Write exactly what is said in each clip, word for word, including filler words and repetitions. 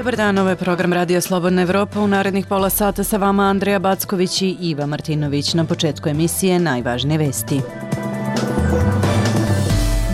Dobar dan, ovo je program Radio Slobodna Evropa. U narednih pola sata sa vama Andreja Backović i Iva Martinović. Na početku emisije najvažnije vesti.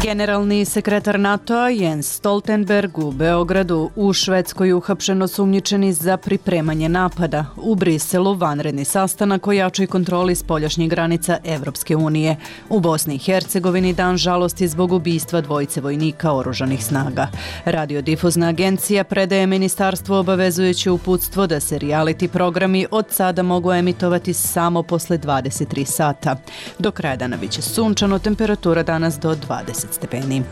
Generalni sekretar NATO-a Jens Stoltenberg u Beogradu, u Švedskoj uhapšen osumnjičeni za pripremanje napada. U Briselu vanredni sastanak o jačoj kontroli spoljašnjih granica Evropske unije. U Bosni i Hercegovini dan žalosti zbog ubistva dvojice vojnika oružanih snaga. Radiodifuzna agencija predaje ministarstvu obavezujuće uputstvo da se reality programi od sada mogu emitovati samo posle dvadeset tri sata. Do kraja dana biće sunčano, temperatura danas do dvadeset stepeni.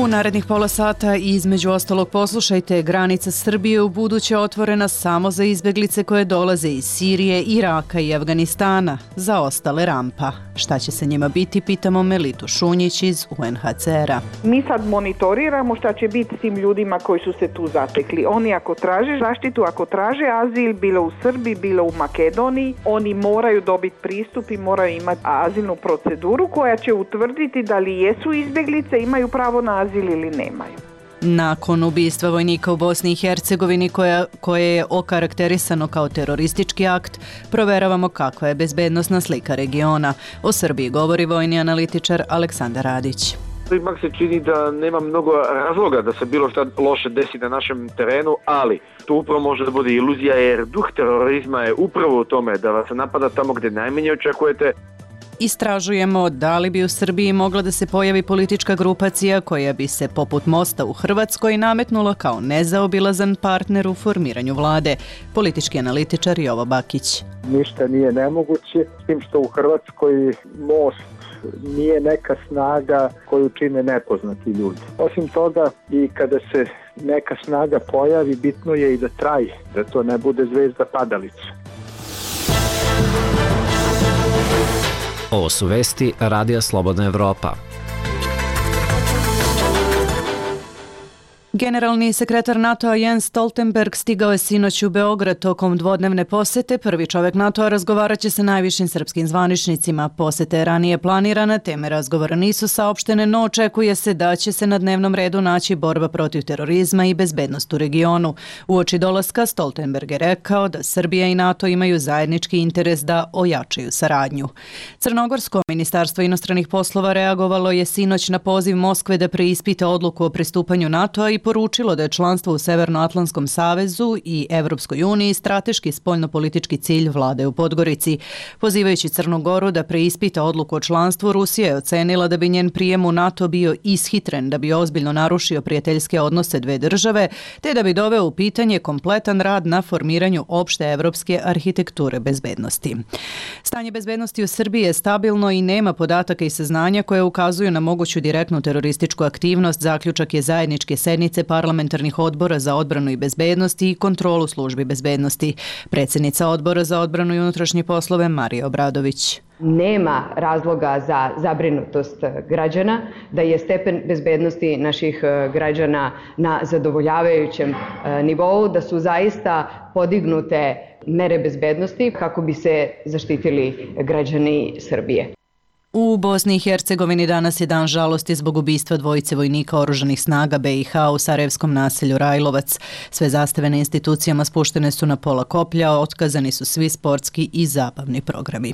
U narednih pola sata između ostalog poslušajte, granica Srbije u buduće otvorena samo za izbeglice koje dolaze iz Sirije, Iraka i Afganistana, za ostale rampa. Šta će se njima biti, pitamo Melitu Šunjić iz U N H C R-a. Mi sad monitoriramo šta će biti s tim ljudima koji su se tu zatekli. Oni ako traže zaštitu, ako traže azil, bilo u Srbiji, bilo u Makedoniji, oni moraju dobiti pristup i moraju imati azilnu proceduru koja će utvrditi da li jesu izbeglice, imaju pravo na azil ili nemaju. Nakon ubistva vojnika u Bosni i Hercegovini koja, koje je okarakterisano kao teroristički akt, proveravamo kakva je bezbednosna slika regiona. O Srbiji govori vojni analitičar Aleksandar Radić. Ipak se čini da nema mnogo razloga da se bilo šta loše desi na našem terenu, ali to upravo može da bude iluzija jer duh terorizma je upravo u tome da vas napada tamo gdje najmanje očekujete. Istražujemo da li bi u Srbiji mogla da se pojavi politička grupacija koja bi se poput Mosta u Hrvatskoj nametnula kao nezaobilazan partner u formiranju vlade. Politički analitičar Jovo Bakić. Ništa nije nemoguće, s tim što u Hrvatskoj Most nije neka snaga koju čine nepoznati ljudi. Osim toga, i kada se neka snaga pojavi, bitno je i da traje, da to ne bude zvezda padalica. Ovo su vesti Radija Slobodna Evropa. Generalni sekretar NATO-a Jens Stoltenberg stigao je sinoć u Beograd tokom dvodnevne posete. Prvi čovjek NATO-a razgovarat će sa najvišim srpskim zvaničnicima. Posete je ranije planirana, teme razgovora nisu saopštene, no očekuje se da će se na dnevnom redu naći borba protiv terorizma i bezbednost u regionu. Uoči dolaska Stoltenberg je rekao da Srbija i NATO imaju zajednički interes da ojačaju saradnju. Crnogorsko ministarstvo inostranih poslova reagovalo je sinoć na poziv Moskve da preispita odluku o pristupanju NATO-a i poručilo da je članstvo u Severnoatlantskom savezu i Evropskoj uniji strateški spoljnopolitički cilj vlade u Podgorici. Pozivajući Crnu Goru da preispita odluku o članstvu, Rusija je ocenila da bi njen prijem u NATO bio ishitren, da bi ozbiljno narušio prijateljske odnose dve države, te da bi doveo u pitanje kompletan rad na formiranju opšte evropske arhitekture bezbednosti. Stanje bezbednosti u Srbiji je stabilno i nema podataka i saznanja koje ukazuju na moguću direktnu terorističku aktivnost, zaključak je zajedničke sednice parlamentarnih odbora za odbranu i bezbednost i kontrolu službi bezbednosti. Predsjednica odbora za odbranu i unutrašnje poslove Marija Obradović. Nema razloga za zabrinutost građana, da je stepen bezbednosti naših građana na zadovoljavajućem nivou, da su zaista podignute mere bezbednosti kako bi se zaštitili građani Srbije. U Bosni i Hercegovini danas je dan žalosti zbog ubistva dvojice vojnika oružanih snaga B i H u sarajevskom naselju Rajlovac. Sve zastave na institucijama spuštene su na pola koplja, otkazani su svi sportski i zabavni programi.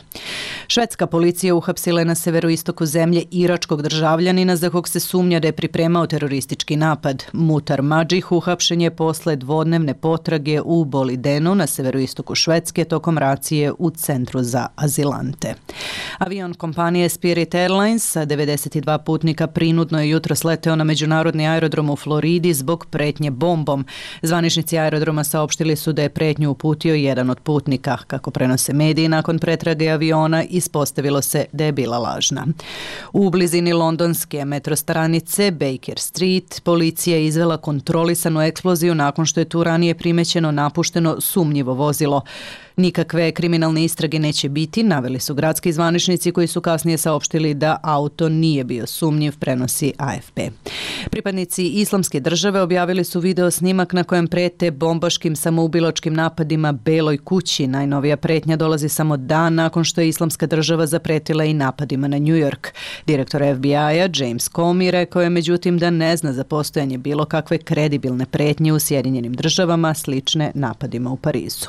Švedska policija uhapsila je na severoistoku zemlje iračkog državljanina za kog se sumnja da je pripremao teroristički napad. Mutar Madžih uhapšen je posle dvodnevne potrage u Bolidenu na severoistoku Švedske tokom racije u centru za azilante. Avion kompanije Spirit Airlines sa devedeset dva putnika prinudno je jutros leteo na međunarodni aerodrom u Floridi zbog pretnje bombom. Zvaničnici aerodroma saopštili su da je pretnju uputio jedan od putnika. Kako prenose mediji, nakon pretrage aviona ispostavilo se da je bila lažna. U blizini londonske metrostanice Baker Street policija je izvela kontrolisanu eksploziju nakon što je tu ranije primećeno napušteno sumnjivo vozilo. Nikakve kriminalne istrage neće biti, naveli su gradski zvaničnici koji su kasnije saopštili da auto nije bio sumnjiv, prenosi A F P. Pripadnici Islamske države objavili su video snimak na kojem prete bombaškim samoubilačkim napadima Beloj kući. Najnovija pretnja dolazi samo dan nakon što je Islamska država zapretila i napadima na New York. Direktor F B I-a James Comey rekao je međutim da ne zna za postojanje bilo kakve kredibilne pretnje u Sjedinjenim državama slične napadima u Parizu.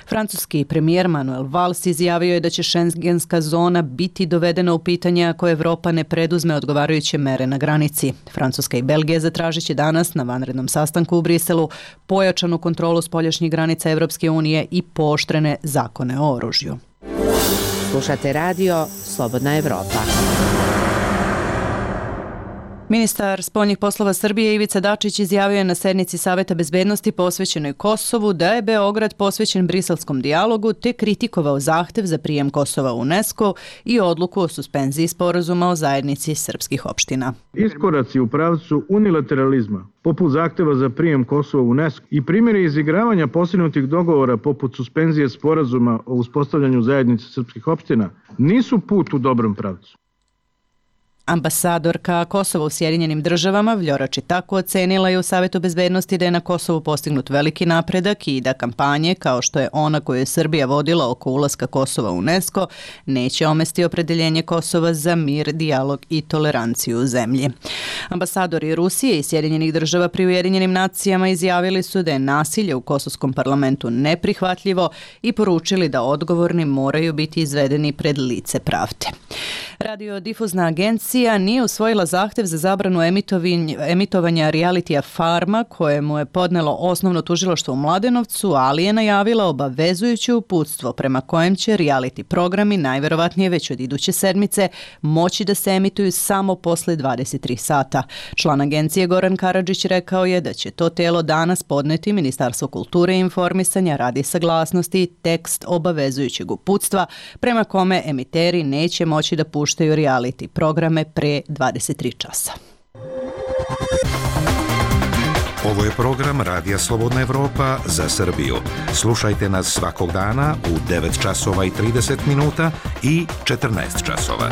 Francuski premijer Manuel Valls izjavio je da će šengenska zona biti dovedena u pitanje ako Evropa ne preduzme odgovarajuće mere na granici. Francuska i Belgija zatražit će danas na vanrednom sastanku u Briselu pojačanu kontrolu spoljašnjih granica Evropske unije i pooštrene zakone o oružju. Slušate radio Slobodna Evropa. Ministar spoljnih poslova Srbije Ivica Dačić izjavio je na sednici Saveta bezbednosti posvećenoj Kosovu da je Beograd posvećen briselskom dijalogu te kritikovao zahtev za prijem Kosova u UNESCO i odluku o suspenziji sporazuma o zajednici srpskih opština. Iskoraci u pravcu unilateralizma, poput zahteva za prijem Kosova u UNESCO i primjeri izigravanja postignutih dogovora poput suspenzije sporazuma o uspostavljanju zajednice srpskih opština nisu put u dobrom pravcu. Ambasadorka Kosova u Sjedinjenim državama Vljora Čitaku ocenila je u Savetu bezbednosti da je na Kosovu postignut veliki napredak i da kampanje, kao što je ona koju je Srbija vodila oko ulaska Kosova u UNESCO, neće omesti opredeljenje Kosova za mir, dijalog i toleranciju u zemlji. Ambasadori Rusije i Sjedinjenih država pri Ujedinjenim nacijama izjavili su da je nasilje u kosovskom parlamentu neprihvatljivo i poručili da odgovorni moraju biti izvedeni pred lice pravde. Radiodifuzna agencija nije usvojila zahtev za zabranu emitovanja realitija Farma kojemu je podnelo osnovno tužilaštvo u Mladenovcu, ali je najavila obavezujuće uputstvo prema kojem će reality programi najverovatnije već od iduće sedmice moći da se emituju samo posle dvadeset tri sata. Član agencije Goran Karadžić rekao je da će to telo danas podneti Ministarstvo kulture i informisanja radi saglasnosti i tekst obavezujućeg uputstva prema kome emiteri neće moći da puštaju reality programe pre dvadeset tri časa. Ovo je program Radija Slobodna Evropa za Srbiju. Slušajte nas svakog dana u devet časova i trideset minuta i četrnaest časova.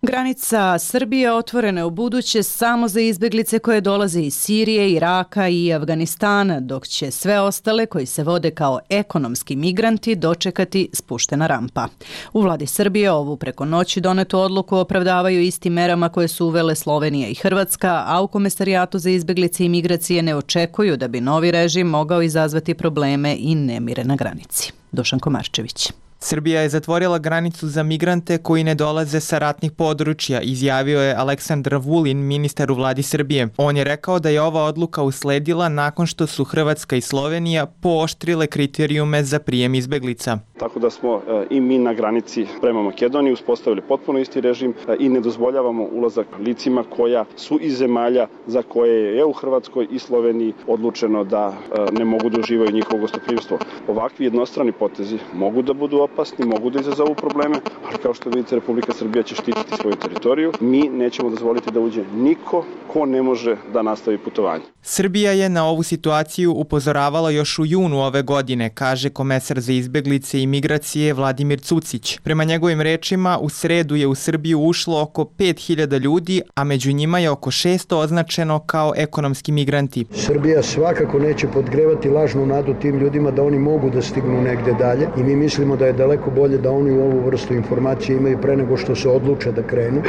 Granica Srbije otvorena je u buduće samo za izbeglice koje dolaze iz Sirije, Iraka i Afganistana, dok će sve ostale koji se vode kao ekonomski migranti dočekati spuštena rampa. U vladi Srbije ovu preko noći donetu odluku opravdavaju istim merama koje su uvele Slovenija i Hrvatska, a u Komesarijatu za izbeglice i migracije ne očekuju da bi novi režim mogao izazvati probleme i nemire na granici. Dušan Komarčević. Srbija je zatvorila granicu za migrante koji ne dolaze sa ratnih područja, izjavio je Aleksandar Vulin, ministar u vladi Srbije. On je rekao da je ova odluka usledila nakon što su Hrvatska i Slovenija pooštrile kriterijume za prijem izbeglica. Tako da smo e, i mi na granici prema Makedoniji uspostavili potpuno isti režim e, i ne dozvoljavamo ulazak licima koja su iz zemalja za koje je u Hrvatskoj i Sloveniji odlučeno da e, ne mogu da uživaju njihovo gostoprimstvo. Ovakvi jednostrani potezi mogu da budu opasni, mogu da izazovu probleme, ali kao što vidite, Republika Srbija će štititi svoju teritoriju. Mi nećemo dozvoliti da uđe niko ko ne može da nastavi putovanje. Srbija je na ovu situaciju upozoravala još u junu ove godine, kaže komesar za izbeglice i migracije Vladimir Cucić. Prema njegovim rečima, u sredu je u Srbiju ušlo oko pet hiljada ljudi, a među njima je oko šesto označeno kao ekonomski migranti. Srbija svakako neće podgrevati lažnu nadu tim ljudima da oni mogu da stignu negde dalje i mi mislimo da je daleko bolje da oni u ovu vrstu informacije imaju pre nego što se odluče da krenu,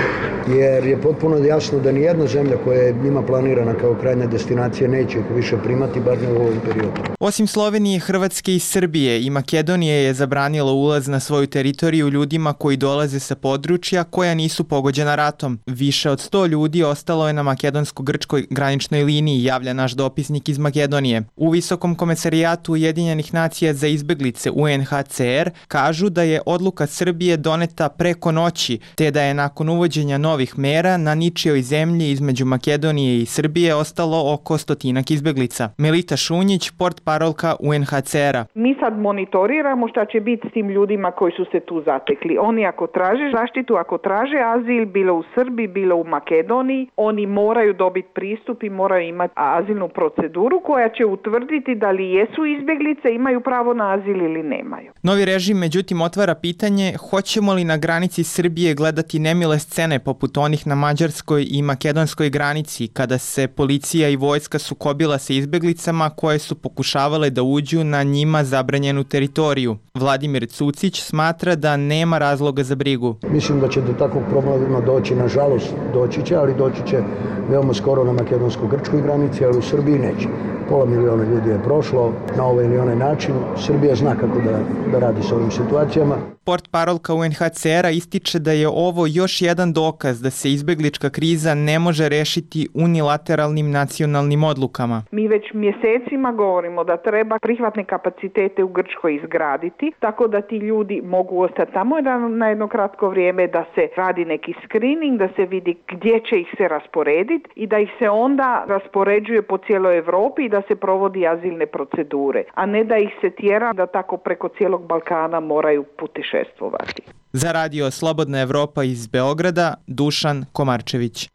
jer je potpuno jasno da nijedna zemlja koja je njima planirana kao krajnja destinacija neće ih više primati, bar ne u ovom periodu. Osim Slovenije, Hrvatske i Srbije i Makedonije je zabranila ulaz na svoju teritoriju ljudima koji dolaze sa područja koja nisu pogođena ratom. Više od sto ljudi ostalo je na makedonsko-grčkoj graničnoj liniji, javlja naš dopisnik iz Makedonije. U Visokom komesarijatu Ujedinjenih nacija za izbeglice U N H C R kažu da je odluka Srbije doneta preko noći, te da je nakon uvođenja novih mera na ničijoj zemlji između Makedonije i Srbije ostalo oko oko stotinak izbeglica. Melita Šunjić, portparolka U N H C R-a. Mi sad monitoriramo šta će biti s tim ljudima koji su se tu zatekli. Oni ako traže zaštitu, ako traže azil, bilo u Srbiji, bilo u Makedoniji, oni moraju dobiti pristup i moraju imati azilnu proceduru koja će utvrditi da li jesu izbeglice, imaju pravo na azil ili nemaju. Novi režim međutim otvara pitanje hoćemo li na granici Srbije gledati nemile scene poput onih na mađarskoj i makedonskoj granici kada se policija i vojska sukobila sa izbeglicama koje su pokušavale da uđu na njima zabranjenu teritoriju. Vladimir Cucić smatra da nema razloga za brigu. Mislim da će do takvog problema doći, nažalost doći će, ali doći će veoma skoro na makedonsko-grčkoj granici, ali u Srbiji neće. Pola miliona ljudi je prošlo na ovaj ili onaj način. Srbija zna kako da, da radi s ovim situacijama. Portparolka U N H C R-a ističe da je ovo još jedan dokaz da se izbeglička kriza ne može rešiti unilateralnim nacionalnim odlukama. Mi već mjesecima govorimo da treba prihvatne kapacitete u Grčkoj izgraditi, tako da ti ljudi mogu ostati tamo na jedno kratko vrijeme, da se radi neki screening, da se vidi gdje će ih se rasporediti i da ih se onda raspoređuje po cijeloj Europi i da se provodi azilne procedure, a ne da ih se tjera da tako preko cijelog Balkana moraju putešestvovati. Za radio Slobodna Evropa iz Beograda, Dušan Komarčević.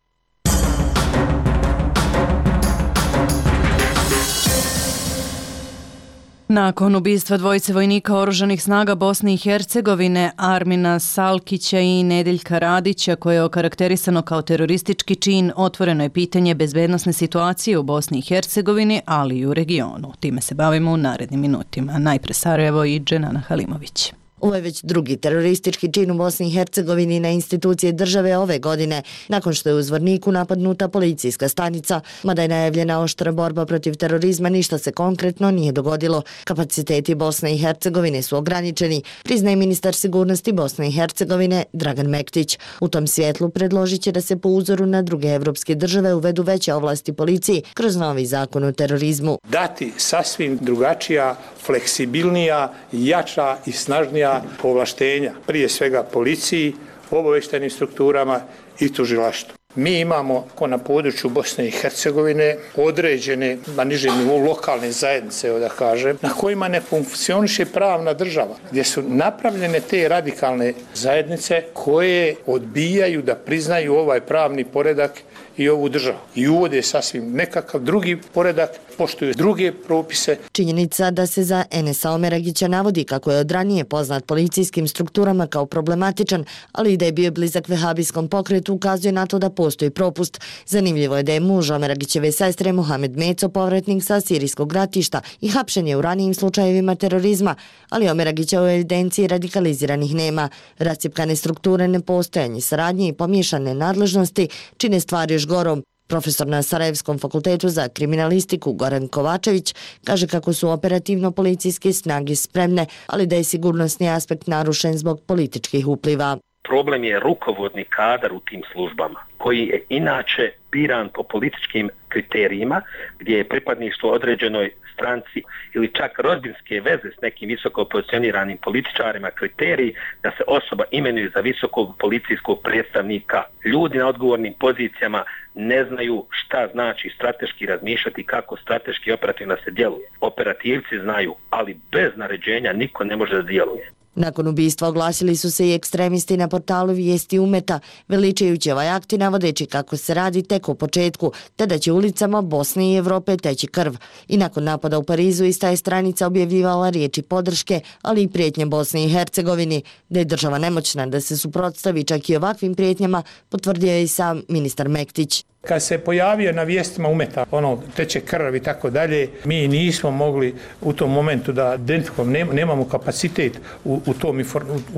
Nakon ubistva dvojice vojnika oružanih snaga Bosne i Hercegovine, Armina Salkića i Nedeljka Radića, koje je okarakterisano kao teroristički čin, otvoreno je pitanje bezbednosne situacije u Bosni i Hercegovini, ali i u regionu. Time se bavimo u narednim minutima. Najpre Sarajevo i Dženana Halimović. Ovo je već drugi teroristički čin u Bosni i Hercegovini na institucije države ove godine, nakon što je u Zvorniku napadnuta policijska stanica. Mada je najavljena oštra borba protiv terorizma, ništa se konkretno nije dogodilo. Kapaciteti Bosne i Hercegovine su ograničeni, priznaje ministar sigurnosti Bosne i Hercegovine Dragan Mektić. U tom svjetlu predložit će da se po uzoru na druge evropske države uvedu veće ovlasti policiji kroz novi zakon o terorizmu. Dati sasvim drugačija, fleksibilnija, jača i snažnija povlaštenja, prije svega policiji, obavještajnim strukturama i tužilaštvu. Mi imamo ko na području Bosne i Hercegovine određene na nižem nivou lokalne zajednice, da kažem, na kojima ne funkcioniše pravna država, gdje su napravljene te radikalne zajednice koje odbijaju da priznaju ovaj pravni poredak i ovu državu i uvode sasvim nekakav drugi poredak, poštuju druge propise. Činjenica da se za Enesa Omeragića navodi kako je od ranije poznat policijskim strukturama kao problematičan, ali i da je bio blizak vehabijskom pokretu, ukazuje na to da postoji propust. Zanimljivo je da je muž Omeragićeve sestre Mohamed Meco povratnik sa sirijskog ratišta i hapšen je u ranijim slučajevima terorizma, ali Omeragića u evidenciji radikaliziranih nema. Rascjepkane strukture, nepostojanje saradnje i pomiješane nadležnosti čine stvari još gorom. Profesor na Sarajevskom fakultetu za kriminalistiku Goran Kovačević kaže kako su operativno policijske snage spremne, ali da je sigurnosni aspekt narušen zbog političkih upliva. Problem je rukovodni kadar u tim službama, koji je inače biran po političkim kriterijima, gdje je pripadništvo određenoj stranci ili čak rodbinske veze s nekim visoko pozicioniranim političarima kriteriji da se osoba imenuje za visokog policijskog predstavnika. Ljudi na odgovornim pozicijama ne znaju šta znači strateški razmišljati, kako strateški operativno se djeluje. Operativci znaju, ali bez naređenja niko ne može da djeluje. Nakon ubistva oglasili su se i ekstremisti na portalu Vijesti Umeta, veličajući ovaj akt i navodeći kako se radi tek u početku, te da će ulicama Bosne i Evrope teći krv. I nakon napada u Parizu ista je stranica objavljivala riječi podrške, ali i prijetnje Bosni i Hercegovini. Da je država nemoćna da se suprotstavi čak i ovakvim prijetnjama, potvrdio je i sam ministar Mektić. Kad se pojavio na Vijestima Umeta, ono, teče krv i tako dalje, mi nismo mogli u tom momentu da identifikujemo, nemamo kapacitet u, u tom u,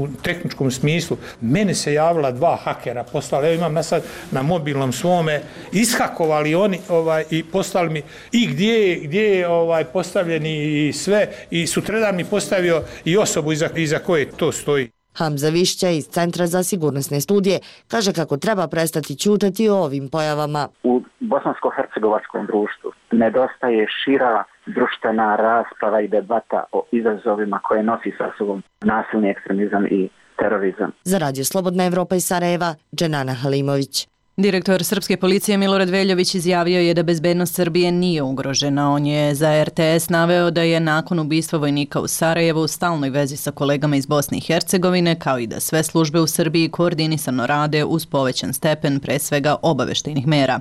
u tehničkom smislu. Mene se javila dva hakera, poslali, evo imam ja sad na mobilnom svome, ishakovali oni ovaj, i poslali mi i gdje, gdje je ovaj, postavljeni i sve, i sutradan mi postavio i osobu iza, iza koje to stoji. Hamza Višća iz Centra za sigurnosne studije kaže kako treba prestati ćutati o ovim pojavama. U bosansko-hercegovačkom društvu nedostaje šira društvena rasprava i debata o izazovima koje nosi sa sobom nasilni ekstremizam i terorizam. Za radio Slobodna Evropa iz Sarajeva, Dženana Halimović. Direktor srpske policije Milorad Veljović izjavio je da bezbednost Srbije nije ugrožena. On je za er te es naveo da je nakon ubistva vojnika u Sarajevu u stalnoj vezi sa kolegama iz Bosne i Hercegovine, kao i da sve službe u Srbiji koordinisano rade uz povećan stepen pre svega obaveštajnih mera.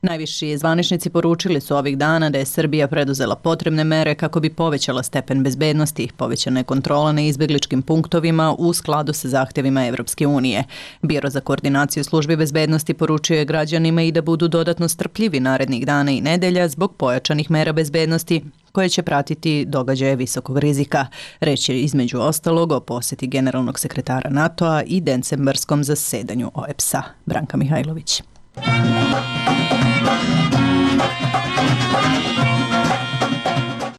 Najviši zvaničnici poručili su ovih dana da je Srbija preduzela potrebne mere kako bi povećala stepen bezbednosti, povećana je kontrola na izbegličkim punktovima u skladu sa zahtevima Evropske unije. Biro za koordinaciju službi bezbednosti poručio je građanima i da budu dodatno strpljivi narednih dana i nedelja zbog pojačanih mera bezbednosti koje će pratiti događaje visokog rizika. Reč je između ostalog o posjeti generalnog sekretara NATO-a i decembarskom zasedanju o e pe es a. Branka Mihajlović.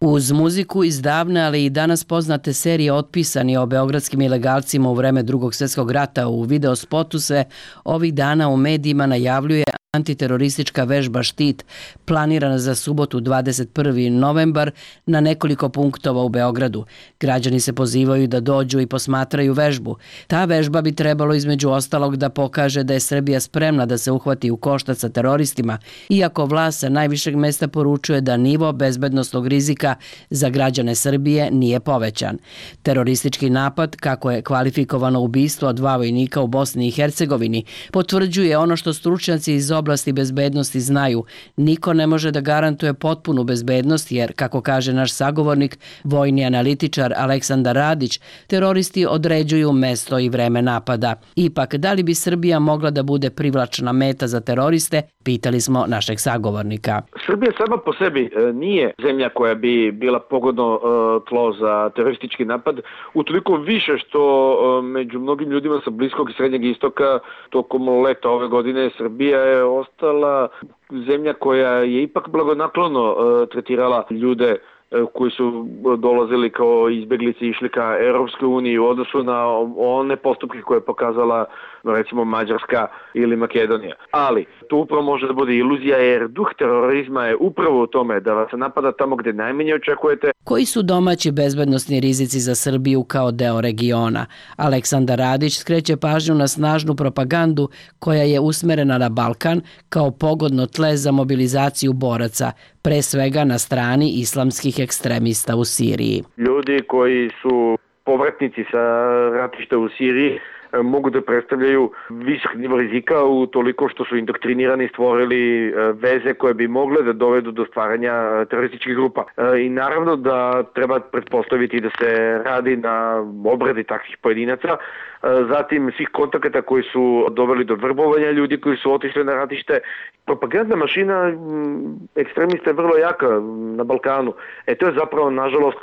Uz muziku iz davne, ali i danas poznate serije Otpisani o beogradskim ilegalcima u vreme Drugog svjetskog rata u videospotu se ovih dana u medijima najavljuje antiteroristička vežba Štit, planirana za subotu dvadeset prvi novembar na nekoliko punktova u Beogradu. Građani se pozivaju da dođu i posmatraju vežbu. Ta vežba bi trebalo između ostalog da pokaže da je Srbija spremna da se uhvati u koštac sa teroristima, iako vlast sa najvišeg mesta poručuje da nivo bezbednosnog rizika za građane Srbije nije povećan. Teroristički napad, kako je kvalifikovano ubistvo dva vojnika u Bosni i Hercegovini, potvrđuje ono što stručnjaci iz oblasti bezbednosti znaju. Niko ne može da garantuje potpunu bezbednost jer, kako kaže naš sagovornik, vojni analitičar Aleksandar Radić, teroristi određuju mesto i vreme napada. Ipak, da li bi Srbija mogla da bude privlačna meta za teroriste, pitali smo našeg sagovornika. Srbija sama po sebi nije zemlja koja bi bila pogodno tlo za teroristički napad, utoliko više što među mnogim ljudima sa Bliskog i Srednjeg istoka tokom leta ove godine Srbija je ostala zemlja koja je ipak blagonaklono tretirala ljude koji su dolazili kao izbeglice i išli ka Europskoj uniji u odnosu na one postupke koje je pokazala recimo Mađarska ili Makedonija. Ali to upravo može da bude iluzija jer duh terorizma je upravo u tome da vas napada tamo gde najmanje očekujete. Koji su domaći bezbednosni rizici za Srbiju kao deo regiona? Aleksandar Radić skreće pažnju na snažnu propagandu koja je usmerena na Balkan kao pogodno tle za mobilizaciju boraca, pre svega na strani islamskih ekstremista u Siriji. Ljudi koji su povratnici sa ratišta u Siriji mogu da predstavljaju visok nivo rizika u toliko što su indoktrinirani i stvorili veze koje bi mogle da dovedu do stvaranja terorističkih grupa. I naravno da treba pretpostaviti da se radi na obradi takvih pojedinaca, zatim svih kontakata koji su doveli do vrbovanja ljudi koji su otišli na ratište. Propagandna mašina ekstremista je vrlo jaka na Balkanu. E to je zapravo, nažalost,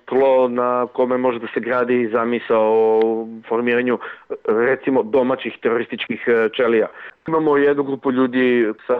tlo na kome može da se gradi zamisao o formiranju recimo domaćih terorističkih čelija. Imamo jednu grupu ljudi sa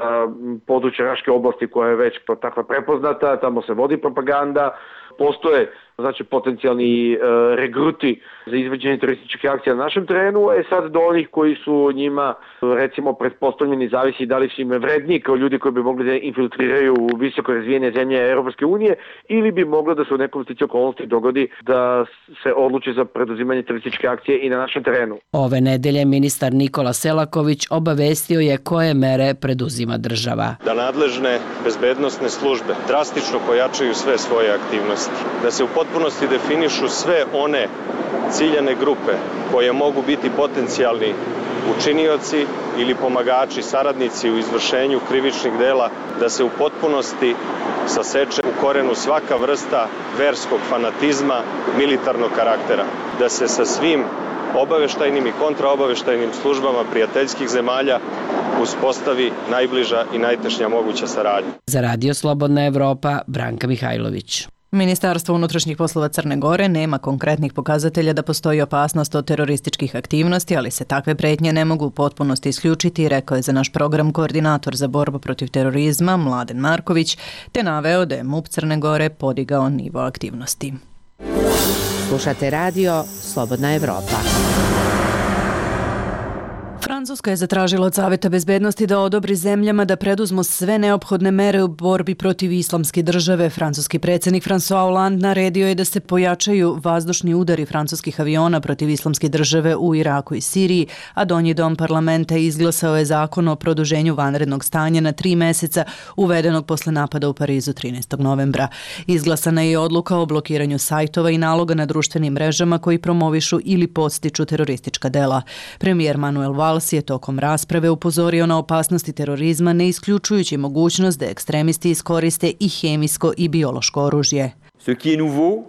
područja Raške oblasti koja je već takva prepoznata, tamo se vodi propaganda, postoje znači potencijalni e, regruti za izvođenje terorističkih akcija na našem terenu, e sad do onih koji su njima recimo pretpostavljeni, zavisi da li su im vredniji kao ljudi koji bi mogli da infiltriraju u visoko razvijene zemlje Europske unije ili bi moglo da se u nekom stici okolnosti dogodi da se odluči za preduzimanje terorističke akcije i na našem terenu. Ove nedelje ministar Nikola Selaković obavestio je koje mere preduzima država. Da nadležne bezbednosne službe drastično pojačaju sve svoje aktivnosti, da se u potpunosti definišu sve one ciljane grupe koje mogu biti potencijalni učinioci ili pomagači, saradnici u izvršenju krivičnih dela, da se u potpunosti saseče u korenu svaka vrsta verskog fanatizma, militarnog karaktera, da se sa svim obaveštajnim i kontraobaveštajnim službama prijateljskih zemalja uspostavi najbliža i najtešnja moguća saradnja. Za Radio Slobodna Evropa, Branka Mihajlović. Ministarstvo unutrašnjih poslova Crne Gore nema konkretnih pokazatelja da postoji opasnost od terorističkih aktivnosti, ali se takve pretnje ne mogu u potpunosti isključiti, rekao je za naš program koordinator za borbu protiv terorizma Mladen Marković, te naveo da je MUP Crne Gore podigao nivo aktivnosti. Slušate radio Slobodna Evropa. Francuska je zatražila od Saveta bezbednosti da odobri zemljama da preduzmu sve neophodne mere u borbi protiv islamske države. Francuski predsjednik François Hollande naredio je da se pojačaju vazdušni udari francuskih aviona protiv islamske države u Iraku i Siriji, a Donji dom parlamenta izglasao je zakon o produženju vanrednog stanja na tri meseca uvedenog posle napada u Parizu trinaestog novembra. Izglasana je odluka o blokiranju sajtova i naloga na društvenim mrežama koji promovišu ili podstiču teroristička dela. Premijer Manuel Valls je tokom rasprave upozorio na opasnosti terorizma, ne isključujući mogućnost da ekstremisti iskoriste i hemijsko i biološko oružje. Ce qui est nouveau,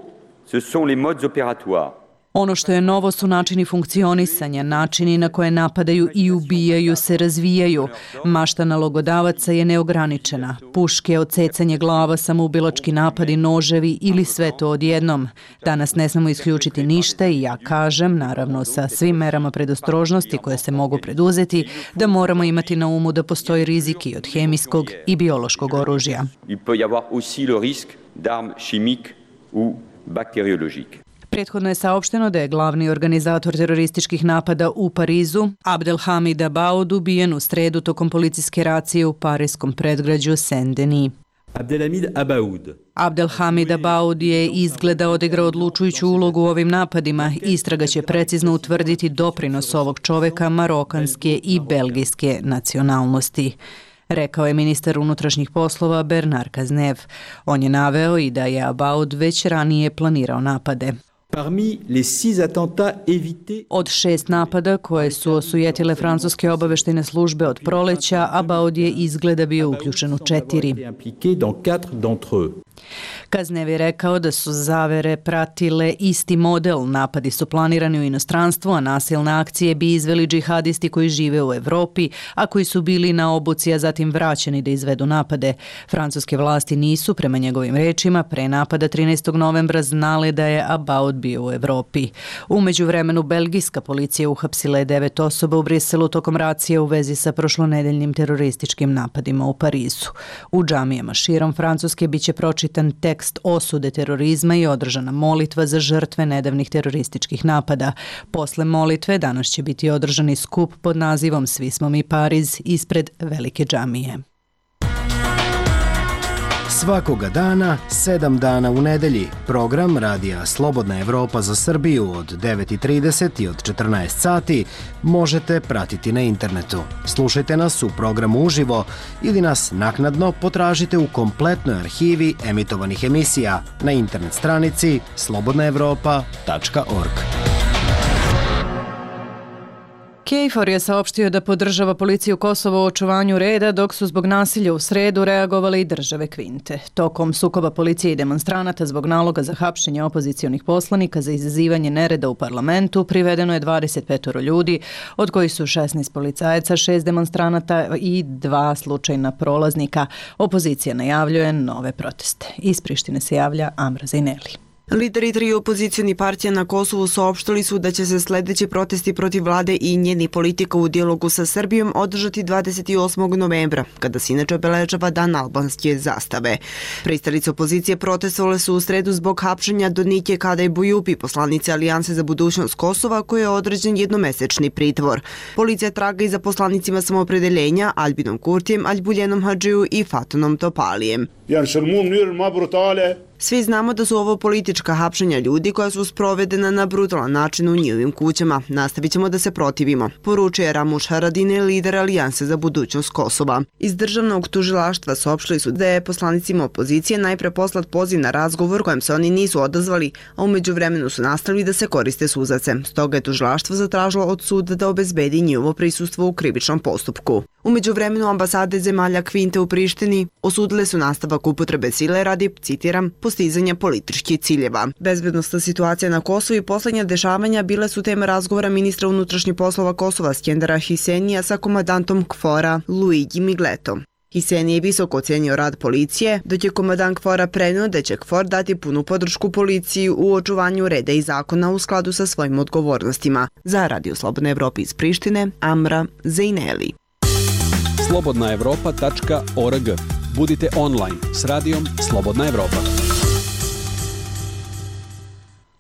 ce sont les modes opératoires. Ono što je novo su načini funkcionisanja, načini na koje napadaju i ubijaju se razvijaju. Mašta nalogodavaca je neograničena. Puške, odsecanje glava, samoubilački napadi, noževi ili sve to odjednom. Danas ne smemo isključiti ništa i ja kažem, naravno sa svim merama predostrožnosti koje se mogu preduzeti, da moramo imati na umu da postoji rizik i od hemijskog i biološkog oružja. Il peut y avoir aussi le risque d'armes chimiques ou bactériologiques. Prethodno je saopšteno da je glavni organizator terorističkih napada u Parizu, Abdelhamid Abaoud, ubijen u sredu tokom policijske racije u parijskom predgrađu Saint-Denis. Abdelhamid Abaoud. Abdelhamid Abaoud je izgleda odigrao odlučujuću ulogu u ovim napadima. Istraga će precizno utvrditi doprinos ovog čoveka marokanske i belgijske nacionalnosti, rekao je ministar unutrašnjih poslova Bernard Cazeneuve. On je naveo i da je Abaoud već ranije planirao napade. Parmi les six attentats évités... Od šest napada koje su osujetile francuske obaveštajne službe od proleća, Abaoud je izgleda bio uključen u četiri. Cazeneuve je rekao da su zavere pratile isti model. Napadi su planirani u inostranstvu, a nasilne akcije bi izveli džihadisti koji žive u Evropi, a koji su bili na obuci, a zatim vraćeni da izvedu napade. Francuske vlasti nisu, prema njegovim rečima, pre napada trinaestog novembra znale da je Abaoud bio u Evropi. U međuvremenu, belgijska policija uhapsila je devet osoba u Briselu tokom racije u vezi sa prošlonedeljnim terorističkim napadima u Parizu. U džamijama širom Francuske biće pročitan tekst osude terorizma i održana molitva za žrtve nedavnih terorističkih napada. Posle molitve danas će biti održani skup pod nazivom Svi smo mi Pariz ispred velike džamije. Svakoga dana, sedam dana u nedelji, program Radija Slobodna Evropa za Srbiju od devet i trideset i od četrnaest sati možete pratiti na internetu. Slušajte nas u programu uživo ili nas naknadno potražite u kompletnoj arhivi emitovanih emisija na internet stranici slobodna evropa tačka org. KFOR je saopštio da podržava policiju Kosova u očuvanju reda, dok su zbog nasilja u sredu reagovale i države Kvinte. Tokom sukoba policije i demonstranata zbog naloga za hapšenje opozicionih poslanika za izazivanje nereda u parlamentu privedeno je dvadeset pet ljudi, od kojih su šesnaest policajaca, šest demonstranata i dva slučajna prolaznika. Opozicija najavljuje nove proteste. Iz Prištine se javlja Amra Zajneli. Lideri tri opozicijoni partija na Kosovu saopštili su da će se sledeći protesti protiv vlade i njeni politika u dijalogu sa Srbijom održati dvadeset osmog novembra, kada se inače obeležava dan albanske zastave. Pristalice opozicije protestovale su u sredu zbog hapšenja Donike Kadaj Bujupi, poslanice Alijanse za budućnost Kosova, koje je određen jednomesečni pritvor. Policija traga i za poslanicima samoopredeljenja Albinom Kurtijem, Aljbuljenom Hadžiju i Fatunom Topalijem. Svi znamo da su ovo politička hapšenja ljudi koja su sprovedena na brutalan način u njihovim kućama. Nastavit ćemo da se protivimo, poručuje Ramuš Haradine, lider Alijanse za budućnost Kosova. Iz državnog tužilaštva saopštili su da je poslanicima opozicije najpre poslat poziv na razgovor kojem se oni nisu odazvali, a umeđu vremenu su nastavili da se koriste suzace. Stoga je tužilaštvo zatražilo od suda da obezbedi njihovo prisustvo u krivičnom postupku. Umeđu vremenu ambasade zemalja Kvinte u Prištini osudile su nastavak upotrebe sile radi, citiram, postizanja političkih ciljeva. Bezbednosna situacija na Kosovu i poslednja dešavanja bile su tema razgovora ministra unutrašnjih poslova Kosova Skendera Hisenija sa komandantom KFOR-a Luigi Migletom. Hiseni je visoko ocenio rad policije, dok je komadant KFOR-a prenio da će KFOR dati punu podršku policiji u očuvanju reda i zakona u skladu sa svojim odgovornostima. Za Radio Slobodna Evropa iz Prištine, Amra Zajneli. slobodna evropa tačka org. Budite online s radijom Slobodna Evropa.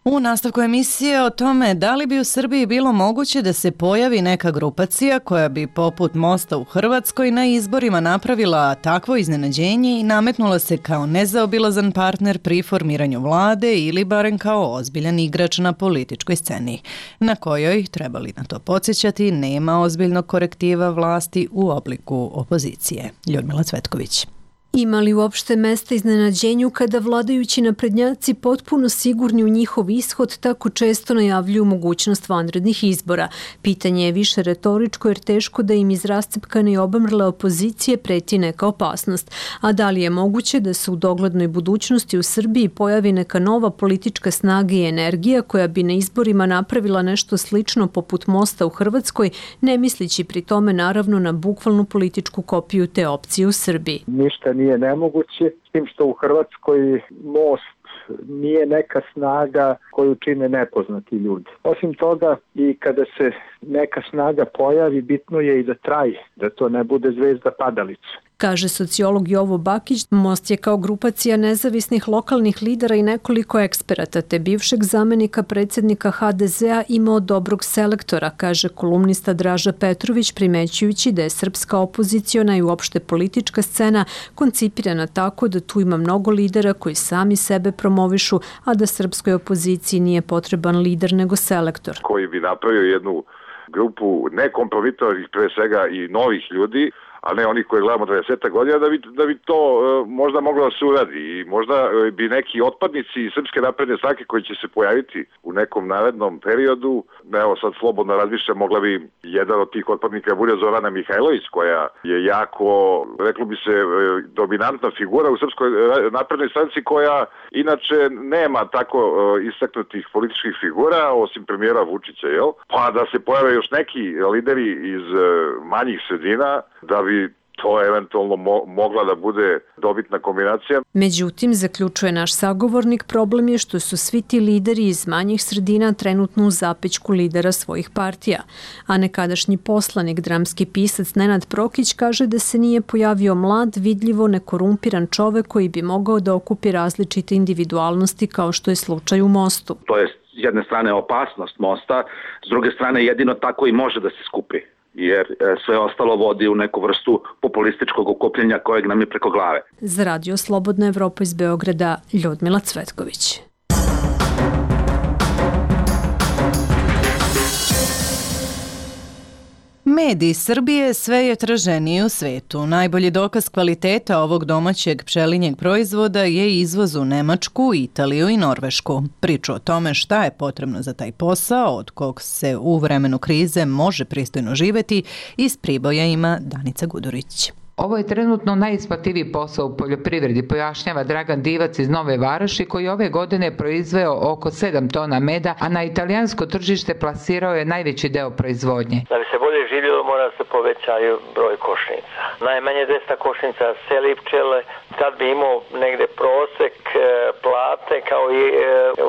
U nastavku emisije o tome da li bi u Srbiji bilo moguće da se pojavi neka grupacija koja bi poput Mosta u Hrvatskoj na izborima napravila takvo iznenađenje i nametnula se kao nezaobilazan partner pri formiranju vlade ili barem kao ozbiljan igrač na političkoj sceni, na kojoj, trebali na to podsjećati, nema ozbiljnog korektiva vlasti u obliku opozicije. Ljudmila Cvetković. Ima li uopšte mesta iznenađenju kada vladajući naprednjaci potpuno sigurni u njihov ishod tako često najavljuju mogućnost vanrednih izbora? Pitanje je više retoričko jer teško da im iz rascepkane i obamrle opozicije preti neka opasnost. A da li je moguće da se u doglednoj budućnosti u Srbiji pojavi neka nova politička snaga i energija koja bi na izborima napravila nešto slično poput Mosta u Hrvatskoj, ne mislići pri tome naravno na bukvalnu političku kopiju te opcije u Srbiji? Ništa nije nemoguće, s tim što u Hrvatskoj Most nije neka snaga koju čine nepoznati ljudi. Osim toga, i kada se neka snaga pojavi, bitno je i da traje, da to ne bude zvezda padalica. Kaže sociolog Jovo Bakić, Most je kao grupacija nezavisnih lokalnih lidera i nekoliko eksperata, te bivšeg zamenika predsjednika ha de zea imao dobrog selektora, kaže kolumnista Draža Petrović, primećujući da je srpska opoziciona i uopšte politička scena koncipirana tako da tu ima mnogo lidera koji sami sebe promovišu, a da srpskoj opoziciji nije potreban lider nego selektor. Koji bi napravio jednu grupu nekompromitovanih, pre svega i novih ljudi, a ne oni koji gledamo dvadeset godina, da bi, da bi to e, možda moglo da se uradi i možda e, bi neki otpadnici Srpske napredne stranke koji će se pojaviti u nekom narednom periodu, evo sad slobodno razmišljam, mogla bi jedan od tih otpadnika bude Zorana Mihajlović, koja je jako, reklo bi se, e, dominantna figura u Srpskoj naprednoj stranci, koja inače nema tako e, istaknutih političkih figura, osim premijera Vučića, jel? Pa da se pojave još neki lideri iz e, manjih sredina, da bi to eventualno mo- mogla da bude dobitna kombinacija. Međutim, zaključuje naš sagovornik, problem je što su svi ti lideri iz manjih sredina trenutno u zapećku lidera svojih partija. A nekadašnji poslanik, dramski pisac Nenad Prokić kaže da se nije pojavio mlad, vidljivo nekorumpiran čovek koji bi mogao da okupi različite individualnosti kao što je slučaj u Mostu. To je s jedne strane opasnost Mosta, s druge strane jedino tako i može da se skupi, jer sve ostalo vodi u neku vrstu populističkog okupljenja kojeg nam je preko glave. Za Radio Slobodna Evropa iz Beograda, Ljudmila Cvetković. Mediji Srbije sve je traženiji u svetu. Najbolji dokaz kvaliteta ovog domaćeg pčelinjeg proizvoda je izvoz u Nemačku, Italiju i Norvešku. Priču o tome šta je potrebno za taj posao, od kog se u vremenu krize može pristojno živeti, iz Priboja ima Danica Gudurić. Ovo je trenutno najisplativiji posao u poljoprivredi, pojašnjava Dragan Divac iz Nove Varoši, koji ove godine proizveo oko sedam tona meda, a na italijansko tržište plasirao je najveći deo proizvodnje. Da bi se bolje živjelo, mora se povećaju broj košnica. Najmanje dvesta košnica seli pčele, kad bi imao negde prosek plate kao i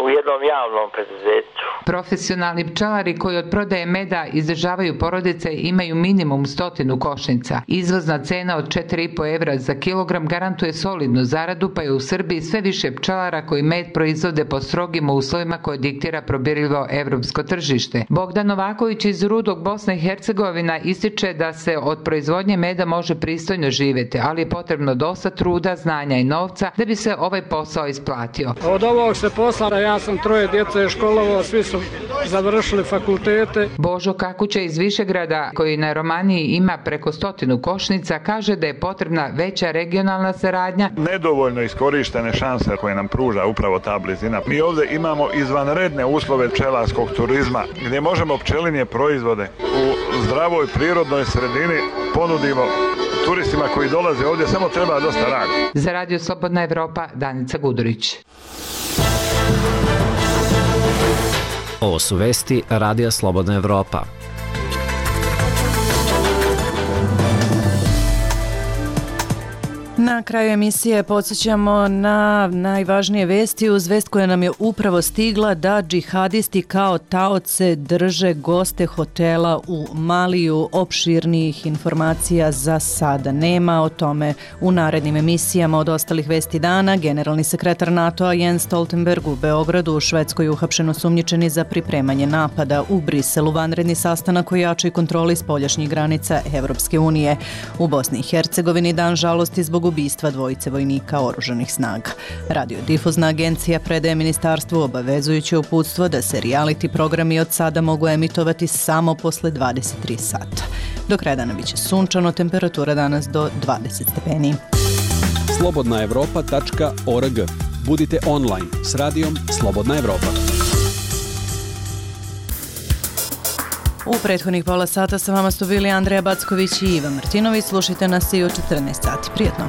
u jednom javnom preduzeću. Profesionalni pčelari koji od prodaje meda izdržavaju porodice imaju minimum stotinu košnica. Izvozna cena od četiri i po evra za kilogram garantuje solidnu zaradu, pa je u Srbiji sve više pčelara koji med proizvode po strogim uslovima koje diktira probirljivo evropsko tržište. Bogdan Novaković iz Rudog, Bosna i Hercegovina, ističe da se od proizvodnje meda može pristojno živjeti, ali je potrebno dosta truda, znanja i novca da bi se ovaj posao isplatio. Od ovog se posla, ja sam troje djece školovao, svi su završili fakultete. Božo Kakuća iz Višegrada, koji na Romaniji ima preko stotinu košnica, kaže da je potrebna veća regionalna saradnja. Nedovoljno iskorištene šanse koje nam pruža upravo ta blizina. Mi ovdje imamo izvanredne uslove pčelarskog turizma, gdje možemo pčelinje proizvode u zdravoj prirodnoj sredini ponudimo turistima koji dolaze ovdje, samo treba dosta rada. Za Radio Slobodna Evropa, Danica Gudurić. Ovo su vesti Radija Slobodna Evropa. Na kraju emisije podsjećamo na najvažnije vesti uz vest koja nam je upravo stigla da džihadisti kao taoce drže goste hotela u Maliju. Opširnijih informacija za sada nema, o tome u narednim emisijama. Od ostalih vesti dana, generalni sekretar NATO-a Jens Stoltenberg u Beogradu, u Švedskoj uhapšen osumnjičeni za pripremanje napada, u Briselu vanredni sastanak o jačoj kontroli spoljašnjih granica Evropske unije. U Bosni i Hercegovini dan žalosti zbog ubistva dvojice vojnika oružanih snaga. Radiodifuzna agencija predaje ministarstvu obavezujuće uputstvo da se reality programi od sada mogu emitovati samo posle dvadeset tri sata. Do kraja dana biće sunčano, temperatura danas do dvadeset stepeni. slobodna evropa tačka org. Budite online s radijom Slobodna Evropa. U prethodnih pola sata sa vama su bili Andreja Backović i Iva Martinović. Slušajte nas i u četrnaest sati. Prijetno!